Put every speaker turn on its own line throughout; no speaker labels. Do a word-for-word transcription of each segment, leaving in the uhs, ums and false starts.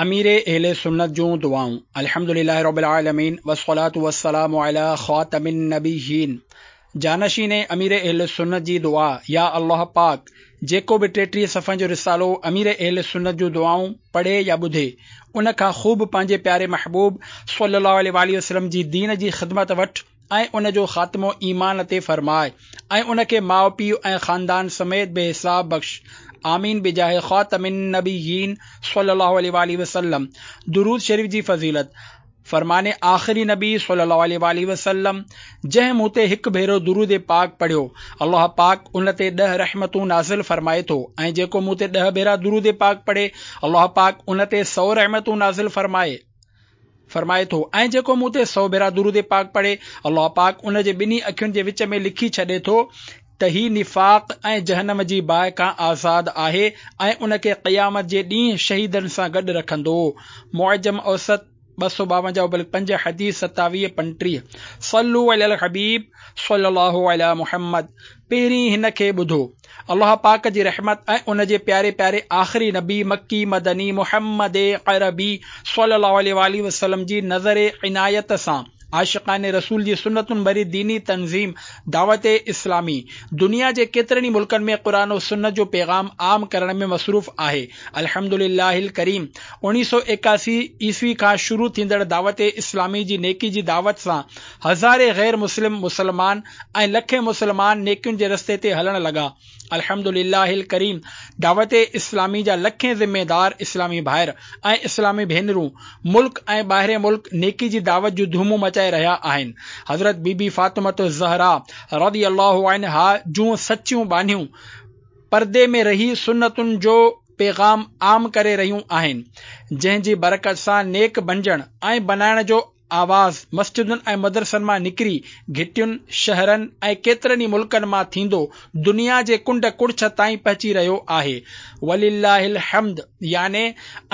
امير اهل سنت جون دعائون. الحمدلله رب العالمين والصلاة والسلام علي خاتم النبيين. جانشين امير اهل سنت جي دعا. يا الله پاڪ، جيڪو به ٽيٽيهه صفحن جو رسالو امير اهل سنت جون دعائون پڙهي يا ٻڌي، ان کان خوب پنهنجي پياري محبوب صلي الله عليه واٰله وسلم جي دين جي خدمت وٺ ۽ ان جو خاتمو ايمان تي فرماء ۽ ان کي ماء پيء ۽ خاندان سميت بي حساب بخش. آمين بجاه خاتم النبيين صلي الله عليه واٰله وسلم. درود شريف جي فضيلت. فرمان آخري نبي صلي الله عليه واٰله وسلم، جنهن مون تي هڪ ڀيرو درود پاڪ پڙهيو، الله پاڪ ان تي ڏهه رحمتون نازل فرمائي ٿو ۽ جيڪو مون تي ڏهه ڀيرا درود پاڪ پڙهي، الله پاڪ ان تي سؤ رحمتون نازل فرمائي فرمائي ٿو ۽ جيڪو مون تي سؤ ڀيرا درود پاڪ پڙهي، الله پاڪ ان جي ٻنهي اکين جي وچ ۾ لکي ڇڏي ٿو ته هي نفاق ۽ جهنم جي باهه کان آزاد آهي ۽ ان کي قيامت جي ڏينهن شهيدن سان گڏ رکندو. معجم اوسط ٻه سؤ ٻاونجاهه بلڪ پنج، حديث ستاويهه پنٽيهه. صلو علي الحبيب صلي الله علي محمد. پهرين هن کي ٻڌو. الله پاڪ جي رحمت ۽ ان جي پياري پياري آخري نبي مڪي مدني محمد عربي صلي الله عليه واٰله وسلم جي نظر عنايت سان عاشقان رسول جي سنتن ڀري ديني تنظيم دعوت اسلامي دنيا جي ڪيترن ئي ملڪن ۾ قرآن و سنت جو پيغام عام ڪرڻ ۾ مصروف آهي. الحمدلله الڪريم اوڻيهه سؤ ايڪاسي عيسوي کان شروع ٿيندڙ دعوت اسلامي جي نيڪي جي دعوت سان هزارين غير مسلم مسلمان ۽ لکين مسلمان نيڪين جي رستي تي هلڻ لڳا. الحمدلله الڪريم دعوت اسلامي جا لکين ذميدار اسلامي ڀائر ۽ اسلامي ڀينرون ملڪ ۽ ٻاهرين ملڪ نيڪي جي دعوت جون ڌومون مچائي رهيا آهن. حضرت بي بي فاطمة الزهراء رضي الله عنها جون سچيون ٻانهيون پردي ۾ رهي سنتن جو پيغام عام ڪري رهيون آهن، جنهن جي برڪت سان نيڪ بنجڻ ۽ بنائڻ جو آواز مسجدن ۽ مدرسن مان نڪري گهٽين، شهرن ۽ ڪيترن ئي ملڪن مان ٿيندو دنيا جي ڪنڊ ڪڙڇ تائين پهچي رهيو آهي. ولله الحمد يعني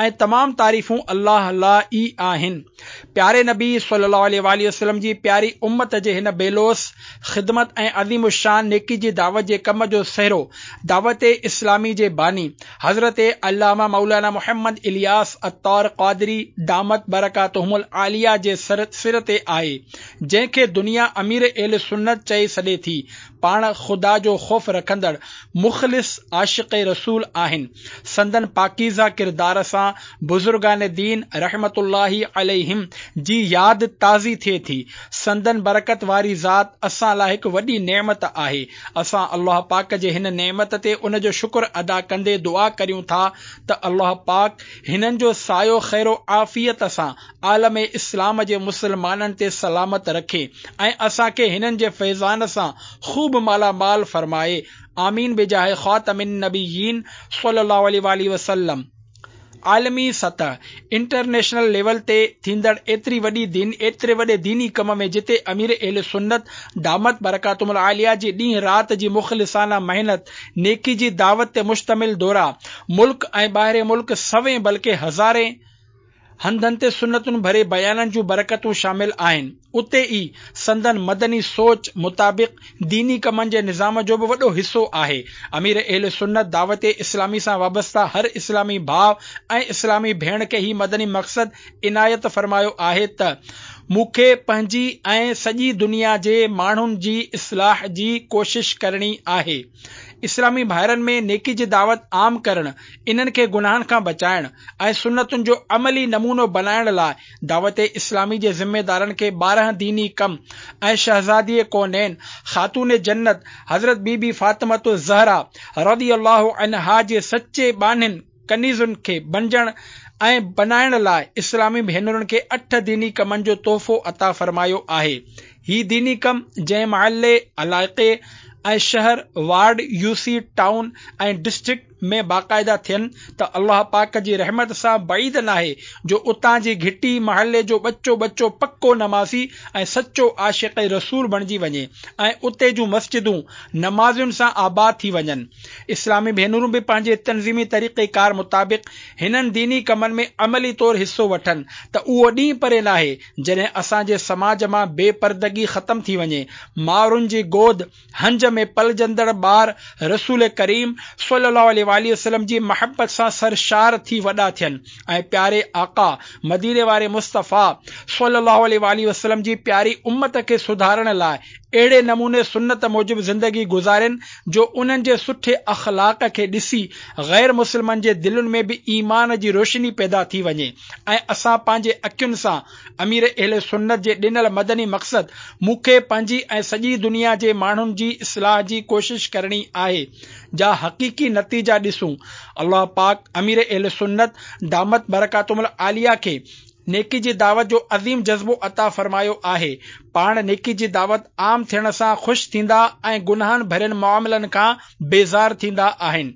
۽ تمام تعريفون الله لاء ئي آهن. پياري نبي صلي الله عليه واٰله وسلم جي پياري امت جي هن بي لوث خدمت ۽ عظيم الشان نيڪي جي دعوت جي ڪم جو سهرو دعوت اسلامي جي باني حضرت علامه مولانا محمد الياس عطار قادري دامت برڪاتهم العاليه جي سر تي آهي، جنهن کي دنيا امير اهل سنت چئي سڏي ٿي. پاڻ خدا جو خوف رکندڙ مخلص عاشق رسول آهن. سندن پاڪيزه ڪردار سان بزرگان دين رحمة الله عليهم جي ياد تازي ٿئي ٿي. سندن برڪت واري ذات اسان لاء هڪ وڏي نعمت آهي. اسان الله پاڪ جي هن نعمت تي ان جو شڪر ادا ڪندي دعا ڪريون ٿا ته الله پاڪ هنن جو سايو خير و عافيت سان عالم اسلام جي مسلمانن تي سلامت رکي ۽ اسان کي هنن جي فيضان سان خوب مالا مال فرمائي. آمين بجاه خاتم النبيين صلي الله عليه واٰله وسلم. عالمي سطح، انٽرنيشنل ليول، تي ٿيندڙ ايتري وڏي دين ايتري وڏي ديني ڪم ۾ جتي امير اهل سنت دامت برڪاتهم العاليه جي ڏينهن رات جي مخلصانه محنت، نيڪي جي دعوت تي مشتمل دورا، ملڪ ۽ ٻاهرين ملڪ سوين بلڪه هزارين هنڌن تي سنتن ڀري بيانن جون برڪتون شامل آهن، اتي ئي سندن مدني سوچ مطابق ديني ڪمن جي نظام جو به وڏو حصو آهي. امير اهل سنت دعوت اسلامي سان وابسته هر اسلامي ڀاء ۽ اسلامي ڀيڻ کي هي مدني مقصد عنايت فرمايو آهي ته مون کي پنهنجي ۽ سڄي دنيا جي ماڻهن جي اصلاح جي ڪوشش ڪرڻي آهي. اسلامي ڀائرن ۾ نيڪي جي دعوت عام ڪرڻ، انهن کي گناهن کان بچائڻ ۽ سنتن جو عملي نمونو بنائڻ لاء دعوت اسلامي جي ذميدارن کي ٻارهن ديني ڪم ۽ شهزادي ڪونين خاتون جنت حضرت بي بي فاطمة الزهراء رضي الله عنها جي سچي ٻانهين ڪنيزن کي بنجڻ ۽ بنائڻ لاء اسلامي ڀينرن کي اٺ ديني ڪمن جو تحفو عطا فرمايو آهي. هي ديني ڪم جنهن محلي، علائقي ۽ شهر، وارڊ، يوسي، ٽائون ۽ ڊسٽرڪٽ ۾ باقاعده ٿين ته الله پاڪ جي رحمت سان بعيد ناهي جو اتان جي گهٽي، محلي جو ٻچو ٻچو پڪو نمازي ۽ سچو عاشق رسول بڻجي وڃي ۽ اتي جون مسجدون نمازين سان آباد ٿي وڃن. اسلامي ڀينرون به پنهنجي تنظيمي طريقي ڪار مطابق هنن ديني ڪمن ۾ عملي طور حصو وٺن ته اهو ڏينهن پري ناهي جڏهن اسان جي سماج مان بي پردگي ختم ٿي وڃي، مائرن جي گود هنج ۾ پلجندڙ ٻار رسول ڪريم صلي الله عليه عليه واٰله وسلم جي محبت سان سرشار ٿي وڏا ٿين ۽ پياري آقا مديني واري مصطفيٰ صلي الله عليه واٰله وسلم جي پياري امت کي سڌارڻ لاء اهڙي نموني سنت موجب زندگي گذارين جو انهن جي سٺي اخلاق کي ڏسي غير مسلمن جي دلين ۾ به ايمان جي روشني پيدا ٿي وڃي ۽ اسان پنهنجي اکين سان امير اهل سنت جي ڏنل مدني مقصد مون کي پنهنجي ۽ سڄي دنيا جي ماڻهن جي اصلاح جي ڪوشش ڪرڻي آهي جا حقيقي نتيجا ڏسون. الله پاڪ امير اهل سنت دامت برڪاتهم العاليه کي نيڪي جي دعوت جو عظيم جذبو عطا فرمايو آهي. پاڻ نيڪي جي دعوت عام ٿيڻ سان خوش ٿيندا ۽ گناهن ڀرين معاملن کان بيزار ٿيندا آهن.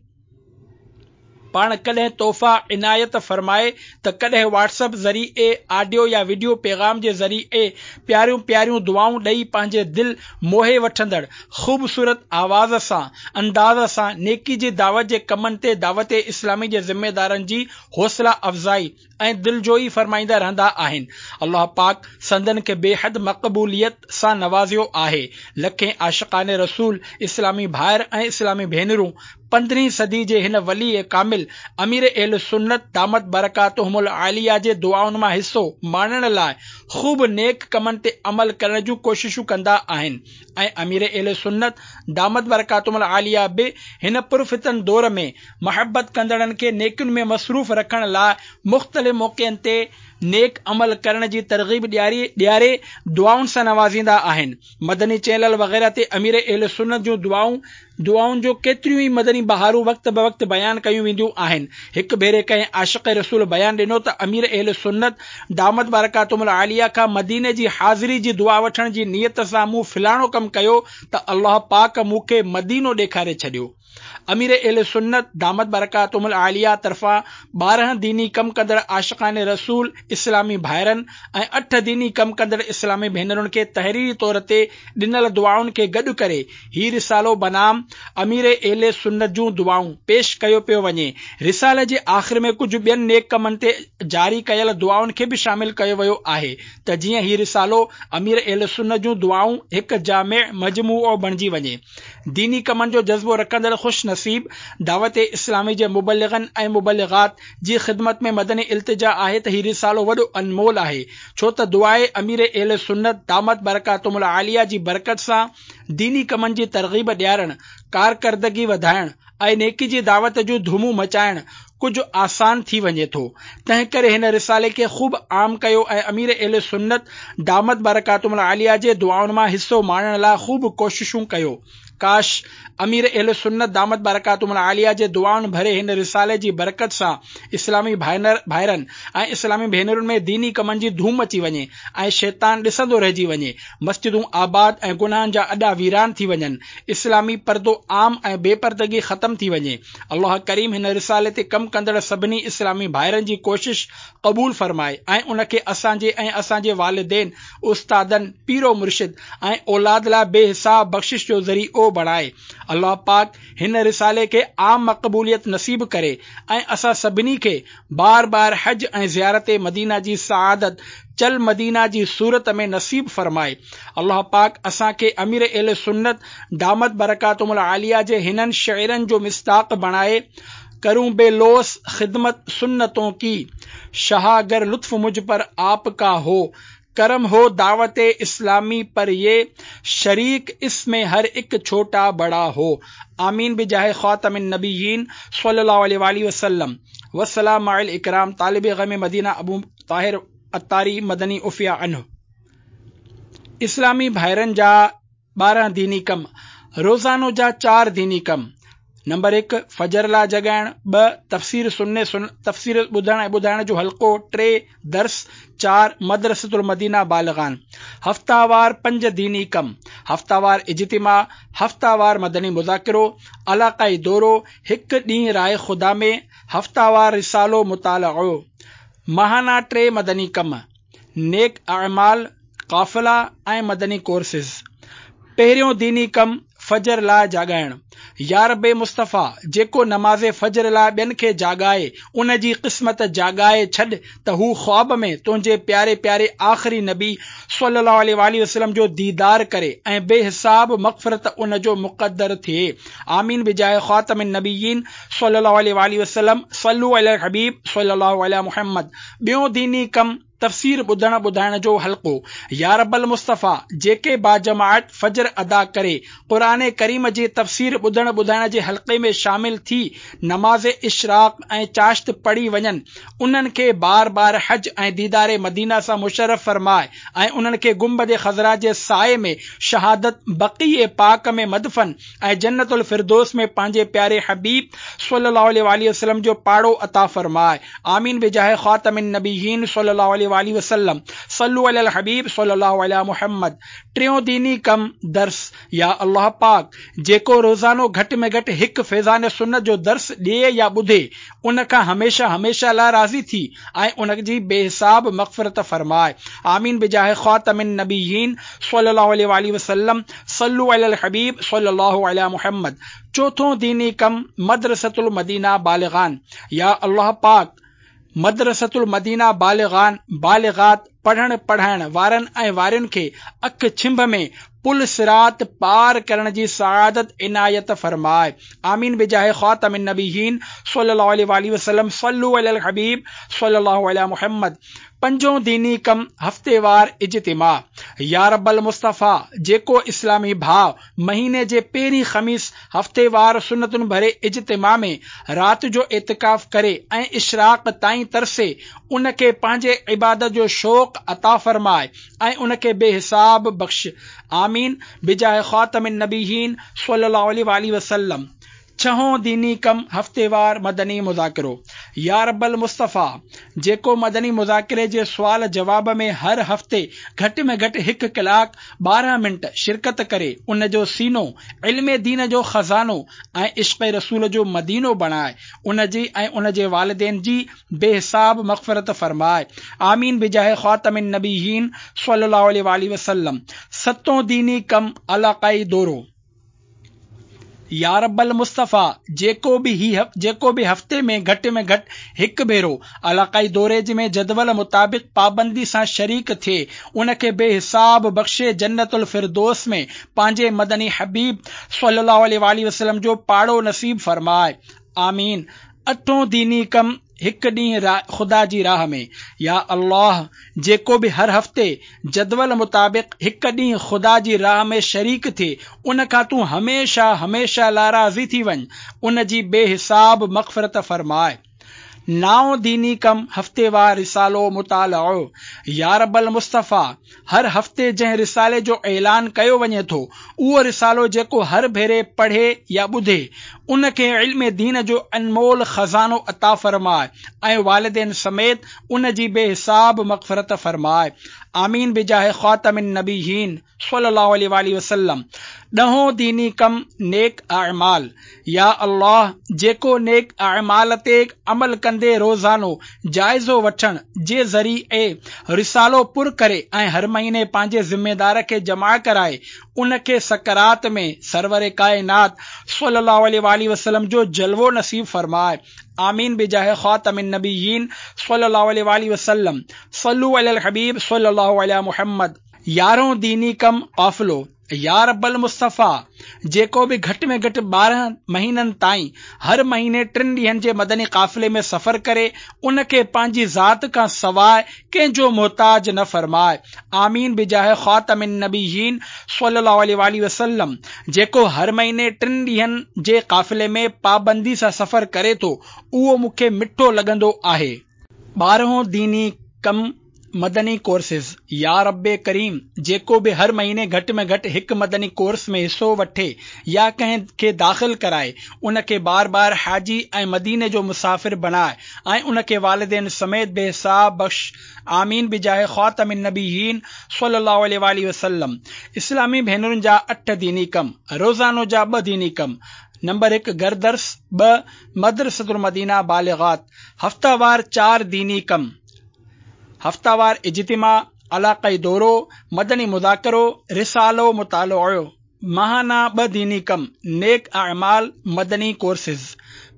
پاڻ ڪڏهن تحفا عنايت فرمائي ته ڪڏهن واٽس اپ ذريعي آڊيو يا وڊيو پيغام جي ذريعي پياريون پياريون دعائون ڏئي پنهنجي دل موهي وٺندڙ خوبصورت آواز سان انداز سان نيڪي جي دعوت جي ڪمن تي دعوت اسلامي جي ذميدارن جي حوصلا افزائي ۽ دلجوئي فرمائيندا رهندا آهن. الله پاڪ سندن کي بيحد مقبوليت سان نوازيو آهي. لکين عاشقان رسول، اسلامي ڀائر ۽ اسلامي ڀينرون پندرهين صدي جي هن ولي ڪامل امير اهل سنت دامت برڪاتهم العاليه جي دعائن مان حصو ماڻڻ لاء خوب نيڪ ڪمن تي عمل ڪرڻ جون ڪوششون ڪندا آهن ۽ امير اهل سنت دامت برڪاتهم العاليه به هن پرفتن دور ۾ محبت ڪندڙن کي نيڪين ۾ مصروف رکڻ لاء مختلف موقعن تي نيڪ عمل ڪرڻ جي ترغيب ڏياري ڏياري دعائن سان نوازيندا آهن. مدني چينل وغيره تي امير اهل سنت جون دعائون دعائن جو ڪيتريون ئي مدني بهارون وقت بوقت بيان ڪيون وينديون آهن. هڪ ڀيري ڪنهن عاشق رسول بيان ڏنو ته امير اهل سنت دامت برڪاتهم العاليه کان مديني جي حاضري جي دعا وٺڻ جي نيت سان مون فلاڻو ڪم ڪيو ته الله پاڪ مون کي مدينو ڏيکاري ڇڏيو. امير اهل سنت دامت برڪاتهم العاليه طرفان ٻارهن ديني ڪم ڪندڙ عاشقان رسول اسلامي ڀائرن ۽ اٺ ديني ڪم ڪندڙ اسلامي ڀينرن کي تحريري طور تي ڏنل دعائن کي گڏ ڪري هي رسالو بنام امير اهل سنت جون دعائون پيش ڪيو پيو وڃي. رسالي جي آخر ۾ ڪجهه ٻين نيڪ ڪمن تي جاري ڪيل دعائن کي به شامل ڪيو ويو آهي ته جيئن هي رسالو امير اهل سنت جون دعائون هڪ جامع مجموعو بڻجي وڃي. ديني ڪمن جو جذبو رکندڙ خوش نصيب دعوت اسلامي جي مبلغن ۽ مبلغات جي خدمت ۾ مدني التجا آهي ته هي رسالو وڏو انمول آهي ڇو ته دعاء امير اهل سنت دامت برڪاتهم العاليه جي برڪت سان ديني ڪمن جي ترغيب ڏيارڻ، ڪارڪردگي وڌائڻ ۽ نيڪي جي دعوت جون ڌومون مچائڻ ڪجهه آسان ٿي وڃي ٿو. تنهنڪري هن رسالي کي خوب عام ڪيو ۽ امير اهل سنت دامت برڪاتهم العاليه جي دعائن مان حصو ماڻڻ لاء خوب ڪوششون ڪيو. ڪاش! امير اهل سنت دامت برڪاتهم العاليه جي دعائن ڀري هن رسالي جي برڪت سان اسلامي ڀائرن ۽ اسلامي ڀينرن ۾ ديني ڪمن جي ڌوم مچي وڃي ۽ شيطان ڏسندو رهجي وڃي، مسجدون آباد ۽ گناهن جا اڏا ويران ٿي وڃن، اسلامي پردو عام ۽ بي پردگي ختم ٿي وڃي. الله ڪريم هن رسالي تي ڪم ڪندڙ سڀني اسلامي ڀائرن جي ڪوشش قبول فرمائي ۽ ان کي اسان جي ۽ اسان جي والدين، استادن، پير و مرشد ۽ اولاد لاء بي حساب بخشش جو ذريعو بڻائي. الله پاڪ هن رسالي کي عام مقبوليت نصيب ڪري ۽ اسان سڀني کي بار بار حج ۽ زيارت مدينه جي سعادت چل مدينه جي صورت ۾ نصيب فرمائي. الله پاڪ اسان کي امير اهل سنت دامت برڪاتهم العاليه جي هنن شعرن جو مصداق بڻائي، ڪرون بي لوث خدمت سنتون ڪي، شاهه گر لطف مجھ پر آپ ڪا هو، ڪرم هو دعوت اسلامي پر يه شريڪ اس ۾ هر اڪ ڇوٽا بڙا هو. آمين بجاه خاتم النبيين صلي الله عليه واٰله وسلم والسلام مع الاڪرام طالب غم مدينه ابو طاهر عطاري مدني عفي عنه. اسلامي ڀائرن جا ٻارهن ديني ڪم، روزانو جا چار ديني ڪم، نمبر هڪ، فجر لاء جڳائڻ، ٻه، تفسير سني تفسير ٻڌڻ ۽ ٻڌائڻ جو حلقو، ٽي، درس، چار، مدرسة المدينه بالغان، هفتاوار پنج ديني ڪم، هفتاوار اجتماع، هفتاوار مدني مذاڪرو، علاقائي دورو، هڪ ڏينهن راهه خدا ۾، هفتاوار رسالو مطالعو، ماهانه ٽي مدني ڪم، نيڪ اعمال، قافلا ۽ مدني ڪورسز. پهريون ديني ڪم، فجر لاء جاڳائڻ. يا رب مصطفيٰ، جيڪو نماز فجر لاء ٻين کي جاڳائي، ان جي قسمت جاڳائي ڇڏ ته هو خواب ۾ تنهنجي پياري پياري آخري نبي صلي الله عليه واٰله وسلم جو ديدار ڪري ۽ بي حساب مغفرت ان جو مقدر ٿئي. آمين بجاه خاتم النبيين صلي الله عليه واٰله وسلم صلو علي الحبيب صلي الله علي محمد. ٻيون ديني ڪم، تفسير ٻڌڻ ٻڌائڻ جو حلقو. يا رب المصطفيٰ، جيڪي باجماعت فجر ادا ڪري قرآن ڪريم جي تفسير ٻڌڻ ٻڌائڻ جي حلقي ۾ شامل ٿي نماز اشراق ۽ چاشت پڙهي وڃن، انهن کي بار بار حج ۽ ديدار مدينه سان مشرف فرماء ۽ انهن کي گنبد خضرا جي سائي ۾ شهادت، بقيع پاڪ ۾ مدفن ۽ جنت الفردوس ۾ پنهنجي پياري حبيب صلي الله عليه واٰله وسلم جو پاڙو عطا فرماء. آمين بجاه خاتم النبيين صلي الله عليه واٰله وسلم صلو علي الحبيب صلي الله علي محمد. ٽيون ديني ڪم، درس. يا الله پاڪ، جيڪو روزانو گهٽ ۾ گهٽ هڪ فيضان سنت جو درس ڏئي يا ٻڌي، ان کان هميشه هميشه لاء راضي ٿي ۽ ان جي بي حساب مغفرت فرماء. آمين بجاه خاتم النبيين صلي الله عليه واٰله وسلم صلو علي الحبيب صلي الله علي محمد. چوٿون ديني ڪم، مدرسة المدينه بالغان. يا الله پاڪ، مدرسة المدينه بالغان بالغات پڙهڻ پڙهائڻ وارن ۽ وارين کي اک ڇنڀ ۾ پل صراط پار ڪرڻ جي سعادت عنايت فرماء. آمين بجاه خاتم النبيين صلي الله عليه واٰله وسلم صلو علي الحبيب صلي الله علي محمد. پنجون ديني ڪم، هفتيوار اجتماع. يا رب المصطفيٰ، جيڪو اسلامي ڀاء مهيني جي پهرين خميس هفتيوار سنتن ڀري اجتماع ۾ رات جو اعتڪاف ڪري ۽ اشراق تائين ترسي، ان کي پنهنجي عبادت جو شوق عطا فرماء ۽ ان کي بي حساب بخش. آمين بجاه خاتم النبيين صلي الله عليه واٰله وسلم. ڇهون ديني ڪم، هفتيوار مدني مذاڪرو. يا رب المصطفيٰ، جيڪو مدني مذاڪري جي سوال جواب ۾ هر هفتي گهٽ ۾ گهٽ هڪ ڪلاڪ ٻارهن منٽ شرڪت ڪري، ان جو سينو علم دين جو خزانو ۽ عشق رسول جو مدينو بڻاء، ان جي ۽ ان جي والدين جي بي حساب مغفرت فرماء. آمين بجاه خاتم النبيين صلي الله عليه واٰله وسلم. ستون ديني ڪم، علاقائي دورو. يا رب المصطفيٰ، جيڪو به هي جيڪو به هفتي ۾ گهٽ ۾ گهٽ هڪ ڀيرو علاقائي دوري ۾ جدول مطابق پابندي سان شريڪ ٿئي، ان کي بي حساب بخشي جنت الفردوس ۾ پنهنجي مدني حبيب صلي الله عليه واٰله وسلم جو پاڙو نصيب فرماء. آمين. اٺون ديني ڪم، هڪ ڏينهن خدا جي راهه ۾. يا الله، جيڪو به هر هفتي جدول مطابق هڪ ڏينهن خدا جي راهه ۾ شريڪ ٿئي، ان کان تون هميشه هميشه لاء راضي ٿي وڃ، ان جي بي حساب مغفرت فرماء. نائون ديني ڪم، هفتيوار رسالو مطالعو. يا رب المصطفيٰ، هر هفتي جنهن رسالي جو اعلان ڪيو وڃي ٿو، اهو رسالو جيڪو هر ڀيري پڙهي يا ٻڌي، ان کي علم دين جو انمول خزانو عطا فرماء ۽ والدين سميت ان جي بي حساب مغفرت فرماء. آمين بجاه خاتم النبيين صلي الله عليه واٰله وسلم. ڏهون ديني ڪم، نيڪ اعمال. يا الله، جيڪو نيڪ اعمال تي عمل ڪندي روزانو جائزو وٺڻ جي ذريعي رسالو پر ڪري ۽ هر مهيني پنهنجي ذميدار کي جمع ڪرائي، ان کي سڪرات ۾ سرور ڪائنات صلي الله عليه واٰله وسلم جو جلوو نصيب فرماء. آمين بجاه خاتم النبيين صلي الله عليه واٰله وسلم صلو علي الحبيب صلي الله علي محمد. يارهون ديني ڪم، قافلو. يا رب المصطفيٰ، جيڪو به گهٽ ۾ گهٽ ٻارهن مهينن تائين هر مهيني ٽن ڏينهن جي مدني قافلي ۾ سفر ڪري، ان کي پنهنجي ذات کان سواء ڪنهن جو محتاج نه فرماء. آمين بجاه خاتم النبيين صلي الله عليه واٰله وسلم. جيڪو هر مهيني ٽن ڏينهن جي قافلي ۾ پابندي سان سفر ڪري ٿو، اهو مون کي مٺو لڳندو آهي. ٻارهون ديني ڪم، مدني ڪورسز. يا رب ڪريم، جيڪو به هر مهيني گهٽ ۾ گهٽ هڪ مدني ڪورس ۾ حصو وٺي يا ڪنهن کي داخل ڪرائي، ان کي بار بار حاجي ۽ مديني جو مسافر بڻاء ۽ ان کي والدين سميت بي حساب بخش. آمين بجاه خاتم النبيين صلي الله عليه واٰله وسلم. اسلامي ڀينرن جا اٺ ديني ڪم. روزانو جا ٻه ديني ڪم. نمبر هڪ گهر درس، ٻه مدرسة المدينه بالغات. هفتيوار چار ديني ڪم. هفتيوار اجتماع، علاقائي دورو، مدني مذاڪرو، رسالو مطالعو. ماهانه ٻه ديني ڪم، نيڪ اعمال، مدني ڪورسز.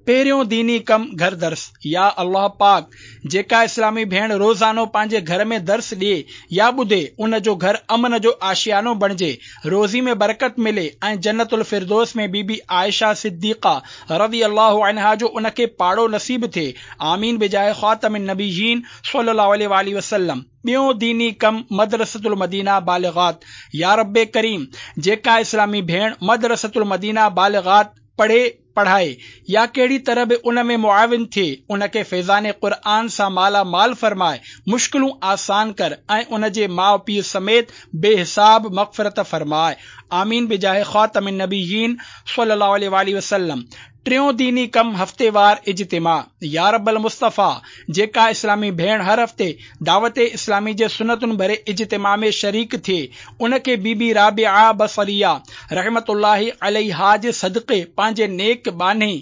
پهريون ديني ڪم گهر درس. يا الله پاڪ، جيڪا اسلامي ڀيڻ روزانو پنهنجي گهر ۾ درس ڏئي يا ٻڌي، ان جو گهر امن جو آشيانو بڻجي، روزي ۾ برڪت ملي ۽ جنت الفردوس ۾ بي بي عائشه صديقه رضي الله عنها جو ان کي پاڙو نصيب ٿئي. آمين بجاه خاتم النبيين صلي الله عليه واله وسلم. ٻيون ديني ڪم مدرسة المدينه بالغات. يا رب ڪريم، جيڪا اسلامي ڀيڻ مدرسة المدينه بالغات پڙهي، پڙهائي يا ڪهڙي طرح به ان ۾ معاون ٿئي، ان کي فيضان قرآن سان مالا مال فرمائي، مشڪلون آسان ڪر ۽ ان جي ماء پيء سميت بي حساب مغفرت فرمائي. آمين بجاه خاتم النبيين صلي الله عليه واله وسلم. ٽيون ديني ڪم هفتيوار اجتماع. يا رب المصطفيٰ، جيڪا اسلامي ڀيڻ هر هفتي دعوت اسلامي جي سنتن ڀري اجتماع ۾ شريڪ ٿئي، ان کي بي بي رابعه بصريه رحمت الله عليها جي صدقي پنهنجي نيڪ ٻانهي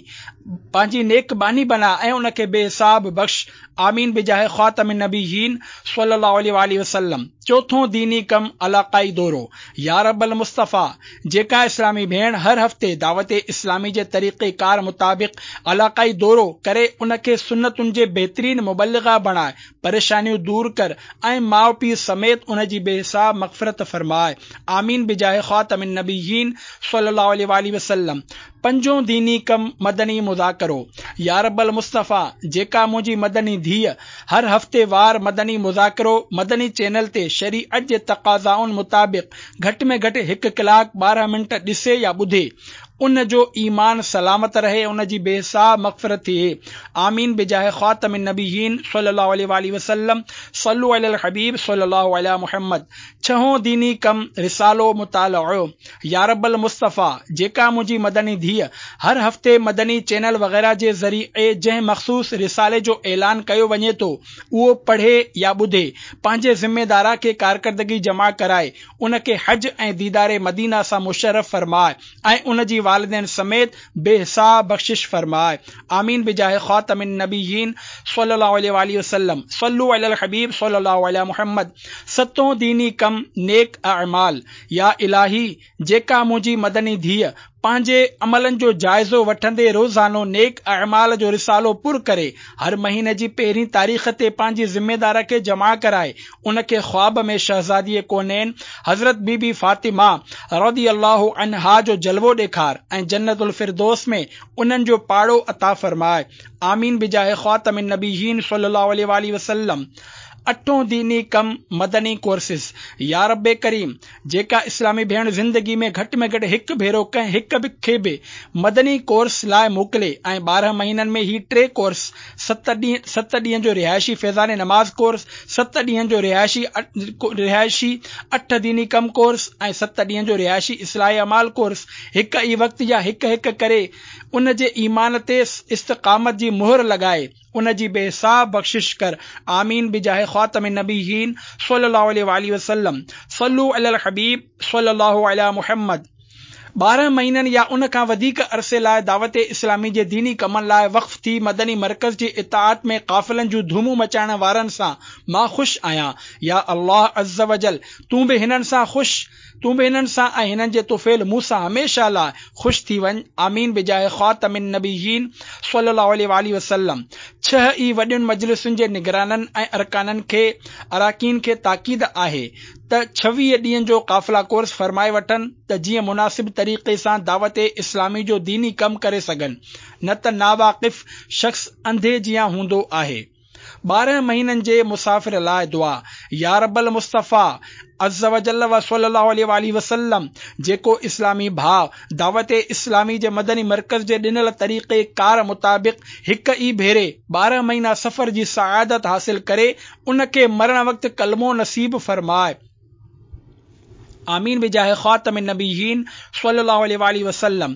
پنهنجي نيڪ ٻانهي بنا ۽ ان کي بي حساب بخش. آمين بجاه خاتم النبيين صلي الله عليه واله وسلم. چوٿون ديني ڪم علاقائي دورو. يا رب المصطفيٰ، جيڪا اسلامي ڀيڻ هر هفتي دعوت اسلامي جي طريقي ڪار مطابق علاقائي دورو ڪري، ان کي سنتن جي بهترين مبلغه بڻائي، پريشانيون دور ڪر ۽ ماء پيء سميت ان جي بي حساب مغفرت فرمائي. آمين بجاه خاتم النبيين صلي الله عليه واله وسلم. پنجون ديني ڪم مدني مذاڪرو. يا رب المصطفيٰ، جيڪا منهنجي مدني ڌيء هر هفتي وار مدني مذاڪرو مدني چينل تي شريعت جي تقاضائن مطابق گهٽ ۾ گهٽ هڪ ڪلاڪ ٻارهن منٽ ڏسي يا ٻڌي، ان جو ايمان سلامت رهي، ان جي بي حساب مغفرت ٿئي. آمين بجاه خاتم النبيين صلي الله عليه واله وسلم. صلوا علي الحبيب صلي الله علي محمد. ڇهون ديني ڪم رسالو مطالعو. يا رب المصطفيٰ، جيڪا منهنجي مدني ڌيء هر هفتي مدني چينل وغيره جي ذريعي جنهن مخصوص رسالي جو اعلان ڪيو وڃي ٿو، اهو پڙهي يا ٻڌي، پنهنجي ذميدار کي ڪارڪردگي جمع ڪرائي، ان کي حج ۽ ديدار مدينه سان مشرف فرمائي ۽ ان جي والدين سميت بي حساب بخشش فرمائي. آمين بجاه خاتم النبيين صلي الله عليه واله وسلم. صلوا علي الحبيب صلي الله علي محمد. ستون ديني ڪم نيڪ اعمال. يا الاهي، جيڪا منهنجي مدني ڌيء پنهنجي عملن جو جائزو وٺندي روزانو نيڪ اعمال جو رسالو پر ڪري، هر مهيني جي پهرين تاريخ تي پنهنجي ذميدار کي جمع ڪرائي، ان کي خواب ۾ شهزادي ڪونين حضرت بي بي فاطمه رضي الله عنها جو جلوو ڏيکار ۽ جنت الفردوس ۾ انهن جو پاڙو عطا فرمائي. آمين بجاه خاتم النبيين صلي الله عليه واله وسلم. اٺون ديني ڪم مدني ڪورسز. يا رب ڪريم، جيڪا اسلامي ڀيڻ زندگي ۾ گهٽ ۾ گهٽ هڪ ڀيرو ڪنهن هڪ به کي به مدني ڪورس لاءِ موڪلي ۽ ٻارهن مهينن ۾ هي ٽي ڪورس، ست ڏينهن ست ڏينهن جو رهائشي فيضان نماز ڪورس، ست ڏينهن جو رهائشي رهائشي اٺ ديني ڪم ڪورس ۽ ست ڏينهن جو رهائشي اصلاح اعمال ڪورس هڪ ئي وقت يا هڪ هڪ ڪري، ان جي ايمان تي استقامت جي مهر لڳائي، ان جي بي حساب بخشش ڪر. آمين بجاه خاتم النبيين صلي الله عليه واله وسلم. صلوا علي الحبيب صلي الله علي محمد. ٻارهن مهينن يا ان کان وڌيڪ عرصي لاءِ دعوت اسلامي جي ديني ڪمن لاءِ وقف ٿي مدني مرڪز جي اطاعت ۾ قافلن جون ڌومون مچائڻ وارن سان مان خوش آهيان. يا الله عز وجل، تون به هنن سان خوش تون به هنن سان ۽ هنن جي طفيل مون سان هميشه لاءِ خوش ٿي وڃ. آمين بجاه خاتم النبيين صلي الله عليه واله وسلم. ڇهه ئي وڏين مجلسن جي نگرانن ۽ ارڪانن کي اراڪين کي تاڪيد آهي ته ڇويهه ڏينهن جو قافلا ڪورس فرمائي وٺن ته جيئن مناسب طريقي سان دعوت اسلامي جو ديني ڪم ڪري سگهن، نه ته ناواقف شخص انڌي جيان هوندو آهي. ٻارهن مهينن جي مسافر لاءِ دعا. يا رب المصطفيٰ عز وجل و صلي الله عليه واله وسلم، جيڪو اسلامي ڀاءُ دعوت اسلامي جي مدني مرڪز جي ڏنل طريقي ڪار مطابق هڪ ئي ڀيري ٻارهن مهينا سفر جي سعادت حاصل ڪري، ان کي مرڻ وقت ڪلمو نصيب فرمائي. آمين بجاه خاتم النبيين صلي الله عليه واله وسلم.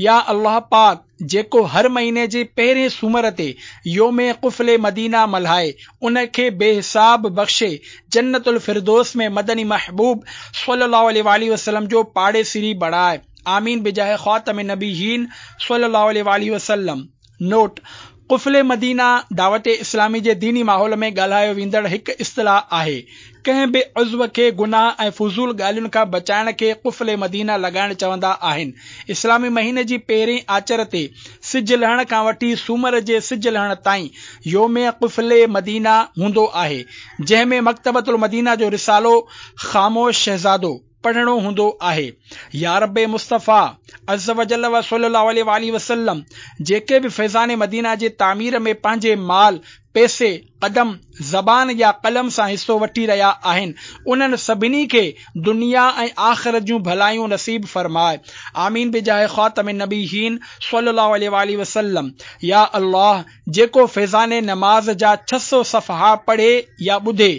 يا الله پاڪ، جيڪو هر مهيني جي پهرين سومر تي يوم قفل مدينه ملهائي، ان کي بي حساب بخشي جنت الفردوس ۾ مدني محبوب صلي الله عليه واله وسلم جو پاڙيسري بڻائي. آمين بجاه خاتم النبيين صلي الله عليه واله وسلم. نوٽ: قفل مدينه دعوت اسلامي جي ديني ماحول ۾ ڳالهايو ويندڙ هڪ اصطلاح آهي. ڪنهن به عضو کي گناهه ۽ فضول ڳالهين کان بچائڻ کي قفل مدينه لڳائڻ چوندا آهن. اسلامي مهيني جي پهرين آچر تي سج لهڻ کان وٺي سومر جي سج لهڻ تائين يوم قفل مدينه هوندو آهي، جنهن ۾ مڪتبة المدينه جو رسالو خاموش شهزادو پڙهڻو هوندو آهي. يا رب مصطفيٰ عزّوجلّ و صلّي الله عليه واٰله وسلّم جيڪي به فيضان مدينه جي تعمير ۾ پنهنجي مال، پئسي، قدم، زبان يا قلم سان حصو وٺي رهيا آهن، انهن سڀني کي دنيا ۽ آخرت جون ڀلايون نصيب فرماء. آمين بجاه خاتم النبيين صلّي الله عليه واٰله وسلّم. يا الله! جيڪو فيضان نماز جا ڇهه سؤ صفحا پڙهي يا ٻڌي،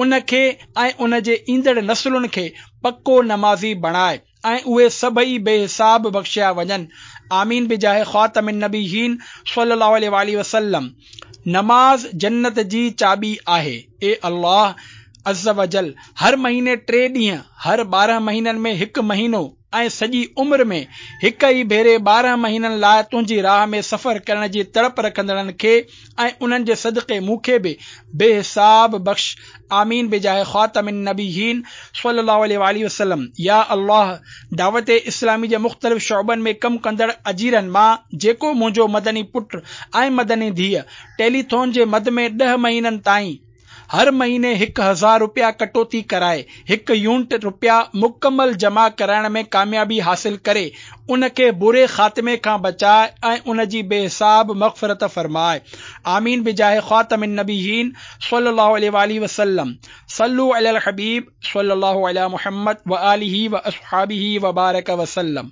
ان کي ۽ ان جي ايندڙ نسلن کي پڪو نمازي بڻاء ۽ اهي سڀئي بي حساب بخشيا وڃن. آمين بجاه خاتم النبيين صلي الله عليه واٰله وسلم. نماز جنت جي چاٻي آهي. اي الله عزّوجلّ هر مهيني ٽي ڏينهن، هر ٻارهن مهينن ۾ هڪ مهينو ۽ سڄي عمر ۾ هڪ ئي ڀيري ٻارهن مهينن لاء تنهنجي راهه ۾ سفر ڪرڻ جي تڙپ رکندڙن کي ۽ انهن جي صدقي مون کي به بي حساب بخش آمين بجاه خاتم النبيين صلي الله عليه واٰله وسلم يا الله دعوت اسلامي جي مختلف شعبن ۾ ڪم ڪندڙ اجيرن مان جيڪو منهنجو مدني پٽ ۽ مدني ڌيء ٽيليٿون جي مد ۾ ڏهه مهينن تائين هر مهيني هڪ هزار رپيا ڪٽوتي ڪرائي هڪ يونٽ رپيا مڪمل جمع ڪرائڻ ۾ ڪاميابي حاصل ڪري ان کي بري خاتمي کان بچاء ۽ ان جي بي حساب مغفرت فرماء آمين بجاه خاتم النبيين صلي الله عليه واٰله وسلم صلو علي الحبيب صلي الله علي محمد واٰله واصحابه وبارڪ وسلم.